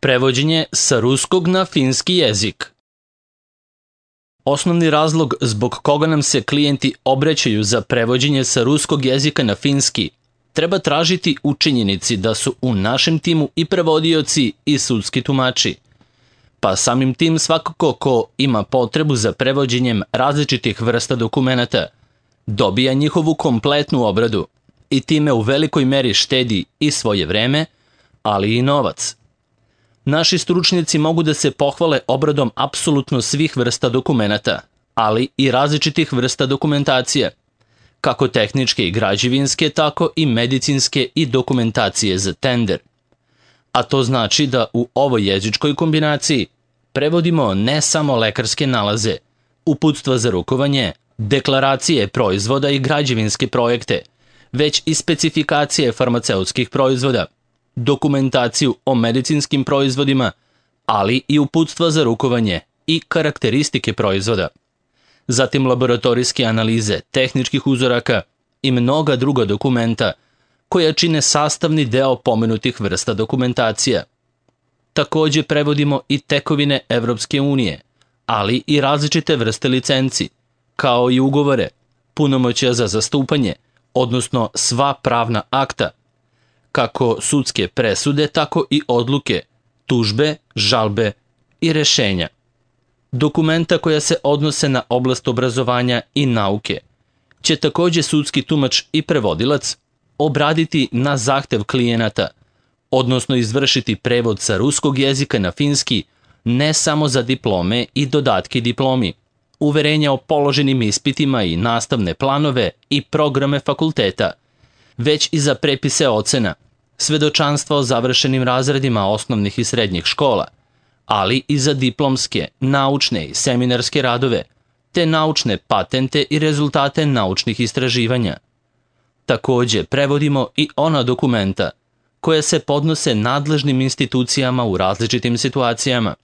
Prevođenje sa ruskog na finski jezik. Osnovni razlog zbog koga nam se klijenti obraćaju za prevođenje sa ruskog jezika na finski treba tražiti u činjenici da su u našem timu i prevodioci i sudski tumači. Pa samim tim svakako ko ima potrebu za prevođenjem različitih vrsta dokumenata dobija njihovu kompletnu obradu i time u velikoj meri štedi i svoje vreme, ali i novac. Naši stručnjaci mogu da se pohvale obradom apsolutno svih vrsta dokumenata, ali i različitih vrsta dokumentacije, kako tehničke i građevinske, tako i medicinske i dokumentacije za tender. A to znači da u ovoj jezičkoj kombinaciji prevodimo ne samo lekarske nalaze, uputstva za rukovanje, deklaracije proizvoda i građevinske projekte, već i specifikacije farmaceutskih proizvoda, dokumentaciju o medicinskim proizvodima, ali i uputstva za rukovanje i karakteristike proizvoda. Zatim laboratorijske analize tehničkih uzoraka i mnoga druga dokumenta koja čine sastavni deo pomenutih vrsta dokumentacija. Takođe prevodimo i tekovine Evropske unije, ali i različite vrste licenci, kao i ugovore, punomoćja za zastupanje, odnosno sva pravna akta, kako sudske presude, tako i odluke, tužbe, žalbe i rešenja. Dokumenta koja se odnose na oblast obrazovanja i nauke će takođe sudski tumač i prevodilac obraditi na zahtev klijenata, odnosno izvršiti prevod sa ruskog jezika na finski ne samo za diplome i dodatke diplomi, uverenja o položenim ispitima i nastavne planove i programe fakulteta, već i za prepise ocena, svedočanstva o završenim razredima osnovnih i srednjih škola, ali i za diplomske, naučne i seminarske radove, te naučne patente i rezultate naučnih istraživanja. Takođe, prevodimo i ona dokumenta koja se podnose nadležnim institucijama u različitim situacijama,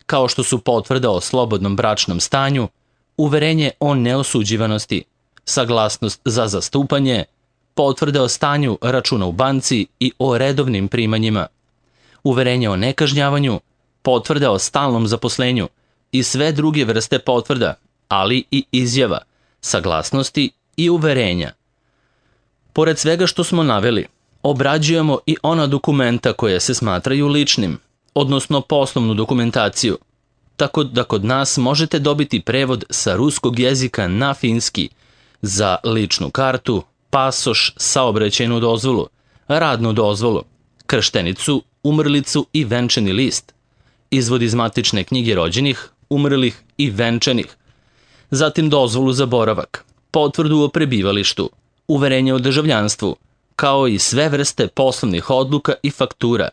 kao što su potvrda o slobodnom bračnom stanju, uverenje o neosuđivanosti, saglasnost za zastupanje, potvrda o stanju računa u banci i o redovnim primanjima, uverenje o nekažnjavanju, potvrda o stalnom zaposlenju i sve druge vrste potvrda, ali i izjava, saglasnosti i uverenja. Pored svega što smo naveli, obrađujemo i ona dokumenta koja se smatraju ličnim, odnosno poslovnu dokumentaciju, tako da kod nas možete dobiti prevod sa ruskog jezika na finski za ličnu kartu, pasoš, saobraćajnu dozvolu, radnu dozvolu, krštenicu, umrlicu i venčani list, izvod iz matične knjige rođenih, umrlih i venčanih, zatim dozvolu za boravak, potvrdu o prebivalištu, uverenje o državljanstvu, kao i sve vrste poslovnih odluka i faktura,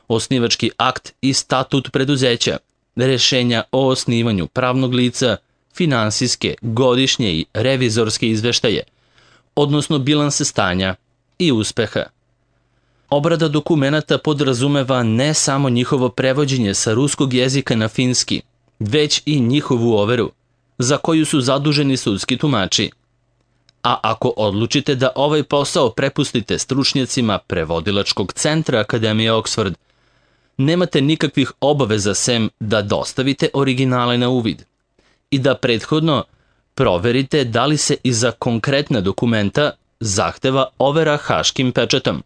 osnivački akt i statut preduzeća, rešenja o osnivanju pravnog lica, finansijske, godišnje i revizorske izveštaje, odnosno bilanse stanja i uspeha. Obrada dokumenata podrazumeva ne samo njihovo prevođenje sa ruskog jezika na finski, već i njihovu overu, za koju su zaduženi sudski tumači. A ako odlučite da ovaj posao prepustite stručnjacima prevodilačkog centra Akademije Oxford, nemate nikakvih obaveza sem da dostavite originale na uvid i da prethodno proverite da li se iza konkretna dokumenta zahteva overa haškim pečatom.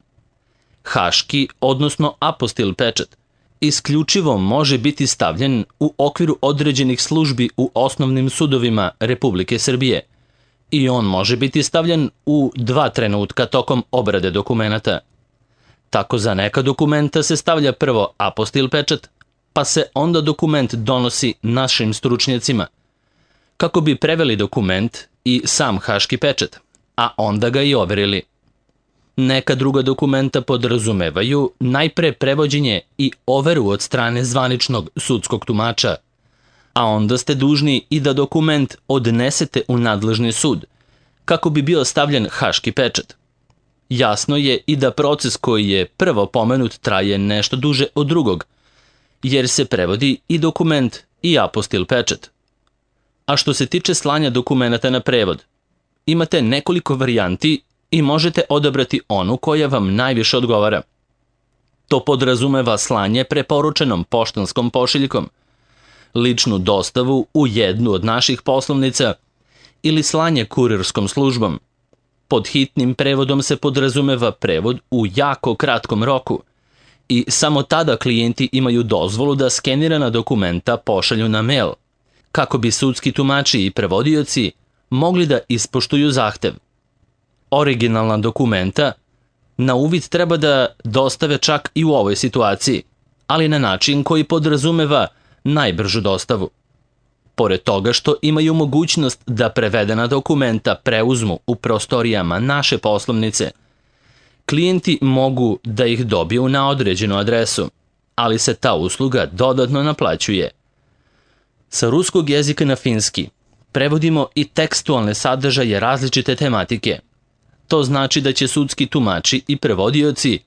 Haški, odnosno apostil pečat, isključivo može biti stavljen u okviru određenih službi u osnovnim sudovima Republike Srbije i on može biti stavljen u 2 trenutka tokom obrade dokumenata. Tako za neka dokumenta se stavlja prvo apostil pečat, pa se onda dokument donosi našim stručnjacima, kako bi preveli dokument i sam haški pečat, a onda ga i overili. Neka druga dokumenta podrazumevaju najpre prevođenje i overu od strane zvaničnog sudskog tumača, a onda ste dužni i da dokument odnesete u nadležni sud, kako bi bio stavljen haški pečat. Jasno je i da proces koji je prvo pomenut traje nešto duže od drugog, jer se prevodi i dokument i apostil pečat. A što se tiče slanja dokumenata na prevod, imate nekoliko varijanti i možete odabrati onu koja vam najviše odgovara. To podrazumeva slanje preporučenom poštanskom pošiljkom, ličnu dostavu u jednu od naših poslovnica ili slanje kurirskom službom. Pod hitnim prevodom se podrazumeva prevod u jako kratkom roku i samo tada klijenti imaju dozvolu da skenirana dokumenta pošalju na mail, kako bi sudski tumači i prevodioci mogli da ispoštuju zahtev. Originalna dokumenta na uvid treba da dostave čak i u ovoj situaciji, ali na način koji podrazumeva najbržu dostavu. Pored toga što imaju mogućnost da prevedena dokumenta preuzmu u prostorijama naše poslovnice, klijenti mogu da ih dobiju na određenu adresu, ali se ta usluga dodatno naplaćuje. Sa ruskog jezika na finski prevodimo i tekstualne sadržaje različite tematike. To znači da će sudski tumači i prevodioci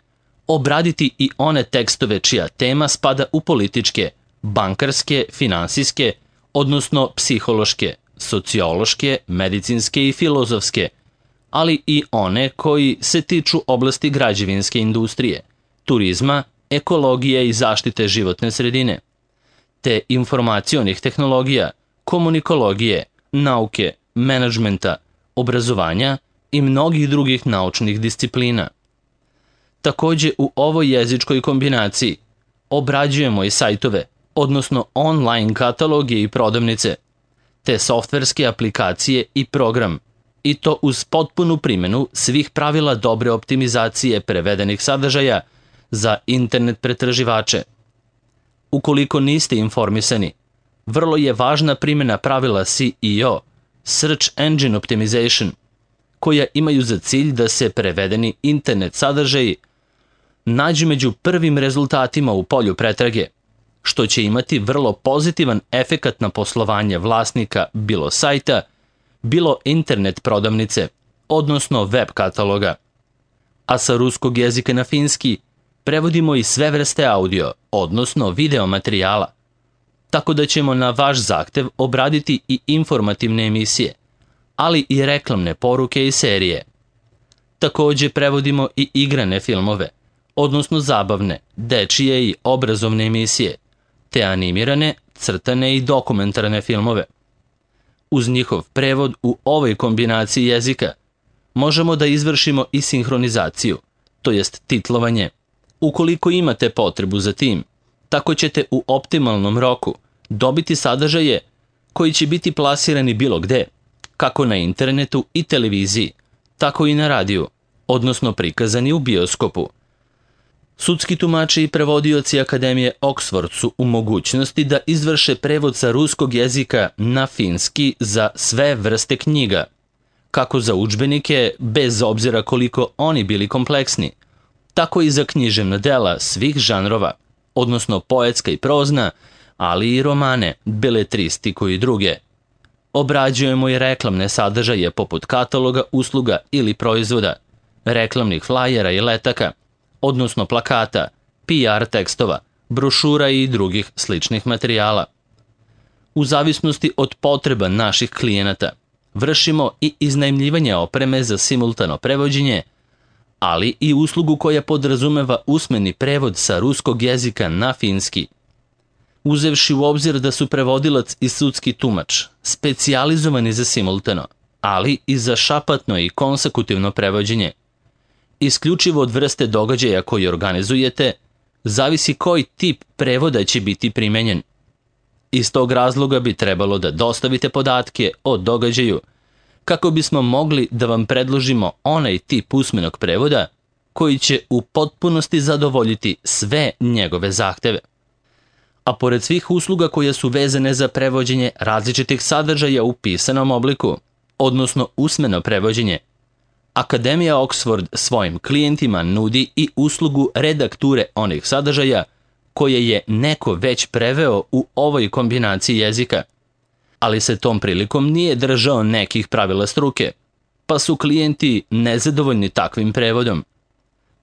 obraditi i one tekstove čija tema spada u političke, bankarske, finansijske, odnosno psihološke, sociološke, medicinske i filozofske, ali i one koji se tiču oblasti građevinske industrije, turizma, ekologije i zaštite životne sredine, te informacionih tehnologija, komunikologije, nauke, menadžmenta, obrazovanja i mnogih drugih naučnih disciplina. Takođe, u ovoj jezičkoj kombinaciji obrađujemo i sajtove, odnosno online kataloge i prodavnice, te softverske aplikacije i program, i to uz potpunu primjenu svih pravila dobre optimizacije prevedenih sadržaja za internet pretraživače. Ukoliko niste informisani, vrlo je važna primjena pravila SEO, Search Engine Optimization, koja imaju za cilj da se prevedeni internet sadržaji nađu među prvim rezultatima u polju pretrage, što će imati vrlo pozitivan efekat na poslovanje vlasnika bilo sajta, bilo internet prodavnice, odnosno web kataloga. A sa ruskog jezika na finski prevodimo i sve vrste audio, odnosno video materijala, tako da ćemo na vaš zahtev obraditi i informativne emisije, ali i reklamne poruke i serije. Takođe prevodimo i igrane filmove, odnosno zabavne, dečije i obrazovne emisije, te animirane, crtane i dokumentarne filmove. Uz njihov prevod u ovoj kombinaciji jezika možemo da izvršimo i sinhronizaciju, to jest titlovanje. Ukoliko imate potrebu za tim, tako ćete u optimalnom roku dobiti sadržaje koji će biti plasirani bilo gde, kako na internetu i televiziji, tako i na radiju, odnosno prikazani u bioskopu. Sudski tumači i prevodioci Akademije Oxford su u mogućnosti da izvrše prevod sa ruskog jezika na finski za sve vrste knjiga, kako za udžbenike, bez obzira koliko oni bili kompleksni, tako i za književna dela svih žanrova, odnosno poetska i prozna, ali i romane, beletristiku i druge. Obrađujemo i reklamne sadržaje poput kataloga, usluga ili proizvoda, reklamnih flajera i letaka, odnosno plakata, PR tekstova, brošura i drugih sličnih materijala. U zavisnosti od potreba naših klijenata, vršimo i iznajmljivanje opreme za simultano prevođenje, ali i uslugu koja podrazumeva usmeni prevod sa ruskog jezika na finski. Uzevši u obzir da su prevodilac i sudski tumač specijalizovani za simultano, ali i za šapatno i konsekutivno prevođenje, isključivo od vrste događaja koji organizujete, zavisi koji tip prevoda će biti primenjen. Iz tog razloga bi trebalo da dostavite podatke o događaju, kako bismo mogli da vam predložimo onaj tip usmenog prevoda koji će u potpunosti zadovoljiti sve njegove zahteve. A pored svih usluga koje su vezane za prevođenje različitih sadržaja u pisanom obliku, odnosno usmeno prevođenje, Akademija Oxford svojim klijentima nudi i uslugu redakture onih sadržaja koje je neko već preveo u ovoj kombinaciji jezika, ali se tom prilikom nije držao nekih pravila struke, pa su klijenti nezadovoljni takvim prevodom.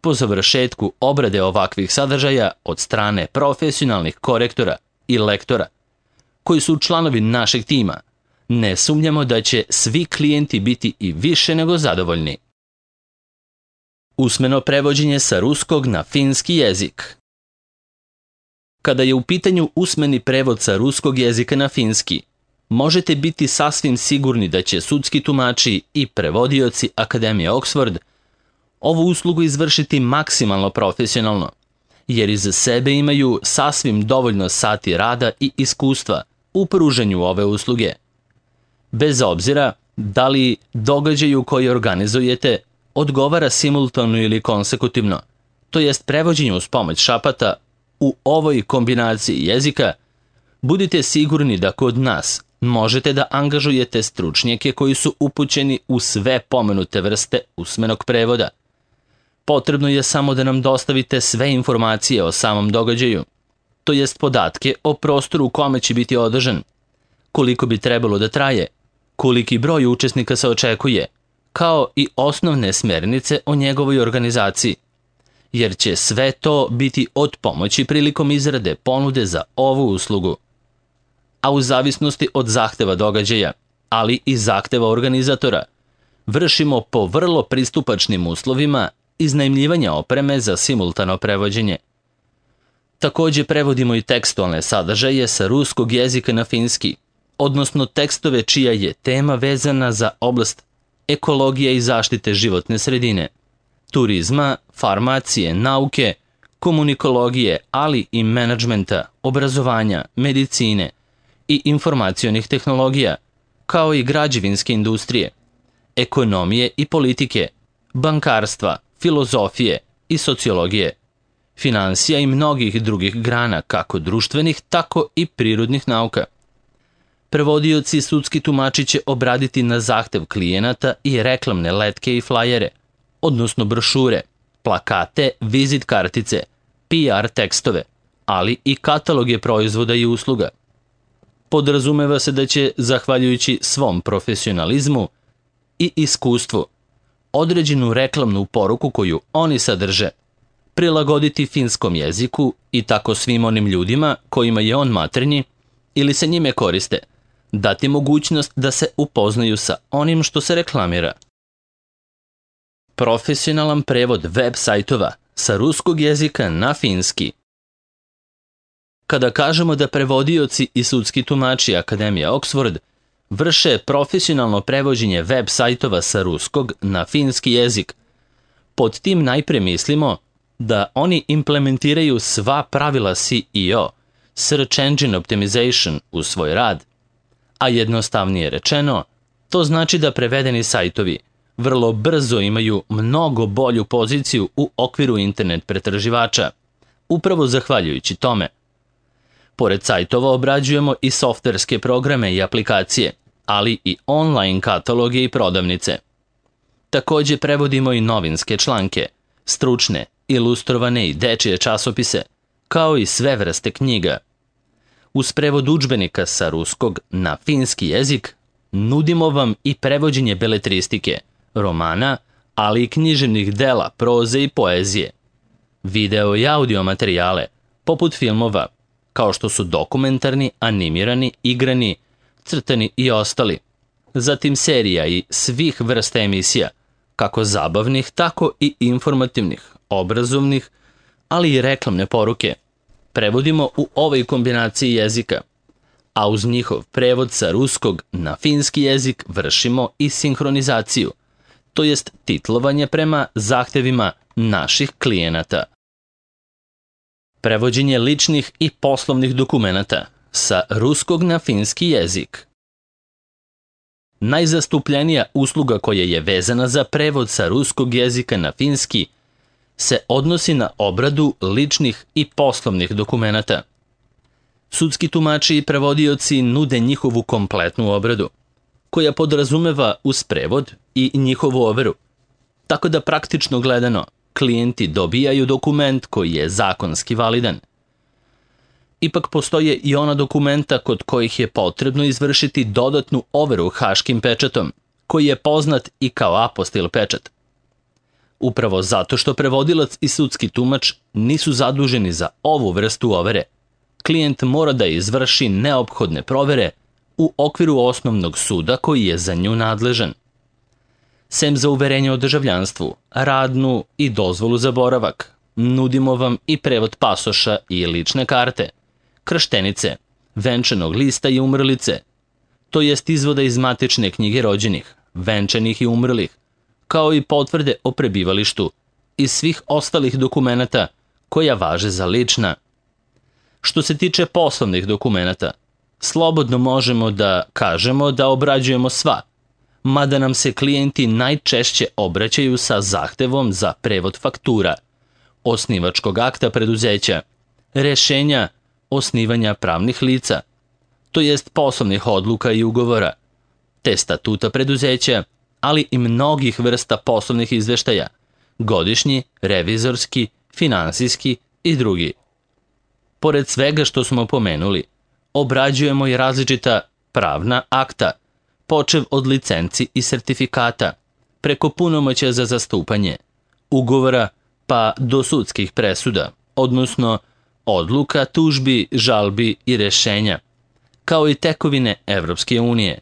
Po završetku obrade ovakvih sadržaja od strane profesionalnih korektora i lektora, koji su članovi našeg tima, ne sumnjamo da će svi klijenti biti i više nego zadovoljni. Usmeno prevođenje sa ruskog na finski jezik. Kada je u pitanju usmeni prevod sa ruskog jezika na finski, možete biti sasvim sigurni da će sudski tumači i prevodioci Akademije Oxford ovu uslugu izvršiti maksimalno profesionalno, jer iza sebe imaju sasvim dovoljno sati rada i iskustva u pružanju ove usluge. Bez obzira da li događaju koji organizujete odgovara simultano ili konsekutivno, to jest prevođenje uz pomoć šapata, u ovoj kombinaciji jezika, budite sigurni da kod nas možete da angažujete stručnjake koji su upućeni u sve pomenute vrste usmenog prevoda. Potrebno je samo da nam dostavite sve informacije o samom događaju, to jest podatke o prostoru u kome će biti održan, koliko bi trebalo da traje, koliki broj učesnika se očekuje, kao i osnovne smernice o njegovoj organizaciji, jer će sve to biti od pomoći prilikom izrade ponude za ovu uslugu. A u zavisnosti od zahteva događaja, ali i zahteva organizatora, vršimo po vrlo pristupačnim uslovima iznajmljivanja opreme za simultano prevođenje. Takođe prevodimo i tekstualne sadržaje sa ruskog jezika na finski, odnosno tekstove čija je tema vezana za oblast ekologije i zaštite životne sredine, turizma, farmacije, nauke, komunikologije, ali i menadžmenta, obrazovanja, medicine i informacionih tehnologija, kao i građevinske industrije, ekonomije i politike, bankarstva, filozofije i sociologije, finansija i mnogih drugih grana, kako društvenih, tako i prirodnih nauka. Prevodioci i sudski tumači će obraditi na zahtev klijenata i reklamne letke i flajere, odnosno brošure, plakate, vizit kartice, PR tekstove, ali i kataloge proizvoda i usluga. Podrazumeva se da će, zahvaljujući svom profesionalizmu i iskustvu, određenu reklamnu poruku koju oni sadrže, prilagoditi finskom jeziku i tako svim onim ljudima kojima je on maternji ili se njime koriste, dati mogućnost da se upoznaju sa onim što se reklamira. Profesionalan prevod web sajtova sa ruskog jezika na finski. Kada kažemo da prevodioci i sudski tumači Akademije Oxford vrše profesionalno prevođenje web sajtova sa ruskog na finski jezik, pod tim najpre mislimo da oni implementiraju sva pravila SEO, Search Engine Optimization, u svoj rad, a jednostavnije rečeno, to znači da prevedeni sajtovi vrlo brzo imaju mnogo bolju poziciju u okviru internet pretraživača, upravo zahvaljujući tome. Pored sajtova obrađujemo i softverske programe i aplikacije, ali i online kataloge i prodavnice. Takođe prevodimo i novinske članke, stručne, ilustrovane i dečije časopise, kao i sve vrste knjiga. Uz prevod udžbenika sa ruskog na finski jezik nudimo vam i prevođenje beletristike, romana, ali i književnih dela, proze i poezije, video i audio materijale, poput filmova, kao što su dokumentarni, animirani, igrani, crtani i ostali, zatim serija i svih vrsta emisija, kako zabavnih, tako i informativnih, obrazovnih, ali i reklamne poruke, prevodimo u ovoj kombinaciji jezika, a uz njihov prevod sa ruskog na finski jezik vršimo i sinhronizaciju, to jest titlovanje prema zahtevima naših klijenata. Prevođenje ličnih i poslovnih dokumenata sa ruskog na finski jezik. Najzastupljenija usluga koja je vezana za prevod sa ruskog jezika na finski se odnosi na obradu ličnih i poslovnih dokumenata. Sudski tumači i prevodioci nude njihovu kompletnu obradu, koja podrazumeva uz prevod i njihovu overu, tako da praktično gledano klijenti dobijaju dokument koji je zakonski validan. Ipak postoje i ona dokumenta kod kojih je potrebno izvršiti dodatnu overu haškim pečatom, koji je poznat i kao apostil pečat. Upravo zato što prevodilac i sudski tumač nisu zaduženi za ovu vrstu overe, klijent mora da izvrši neophodne provere u okviru osnovnog suda koji je za nju nadležan. Sem za uverenje o državljanstvu, radnu i dozvolu za boravak, nudimo vam i prevod pasoša i lične karte, krštenice, venčanog lista i umrlice, to jest izvoda iz matične knjige rođenih, venčanih i umrlih, kao i potvrde o prebivalištu i svih ostalih dokumenata koja važe za lična. Što se tiče poslovnih dokumenata, slobodno možemo da kažemo da obrađujemo sva, mada nam se klijenti najčešće obraćaju sa zahtevom za prevod faktura, osnivačkog akta preduzeća, rešenja osnivanja pravnih lica, to jest poslovnih odluka i ugovora, te statuta preduzeća, ali i mnogih vrsta poslovnih izveštaja, godišnji, revizorski, finansijski i drugi. Pored svega što smo pomenuli, obrađujemo i različita pravna akta, počev od licenci i sertifikata, preko punomoćja za zastupanje, ugovora pa do sudskih presuda, odnosno odluka, tužbi, žalbi i rešenja, kao i tekovine Evropske unije.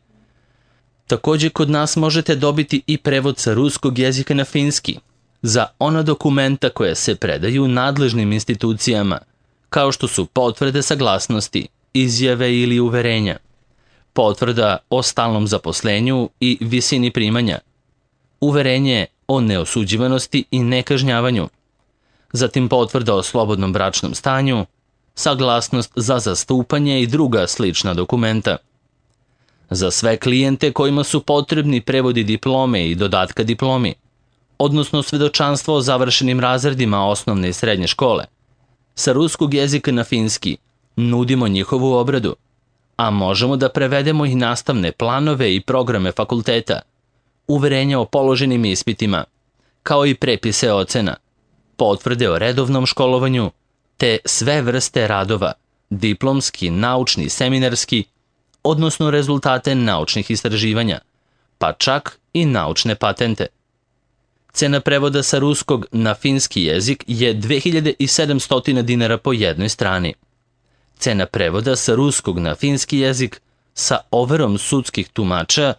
Takođe, kod nas možete dobiti i prevod sa ruskog jezika na finski za ona dokumenta koje se predaju nadležnim institucijama, kao što su potvrde saglasnosti, izjave ili uverenja, potvrda o stalnom zaposlenju i visini primanja, uverenje o neosuđivanosti i nekažnjavanju, zatim potvrda o slobodnom bračnom stanju, saglasnost za zastupanje i druga slična dokumenta. Za sve klijente kojima su potrebni prevodi diplome i dodatka diplomi, odnosno svedočanstvo o završenim razredima osnovne i srednje škole, sa ruskog jezika na finski nudimo njihovu obradu, a možemo da prevedemo i nastavne planove i programe fakulteta, uverenja o položenim ispitima, kao i prepise ocena, potvrde o redovnom školovanju, te sve vrste radova, diplomski, naučni, seminarski, odnosno rezultate naučnih istraživanja, pa čak i naučne patente. Cena prevoda sa ruskog na finski jezik je 2700 dinara po jednoj strani. Cena prevoda sa ruskog na finski jezik sa overom sudskih tumača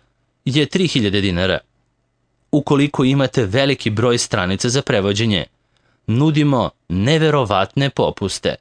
je 3000 dinara. Ukoliko imate veliki broj stranica za prevođenje, nudimo neverovatne popuste.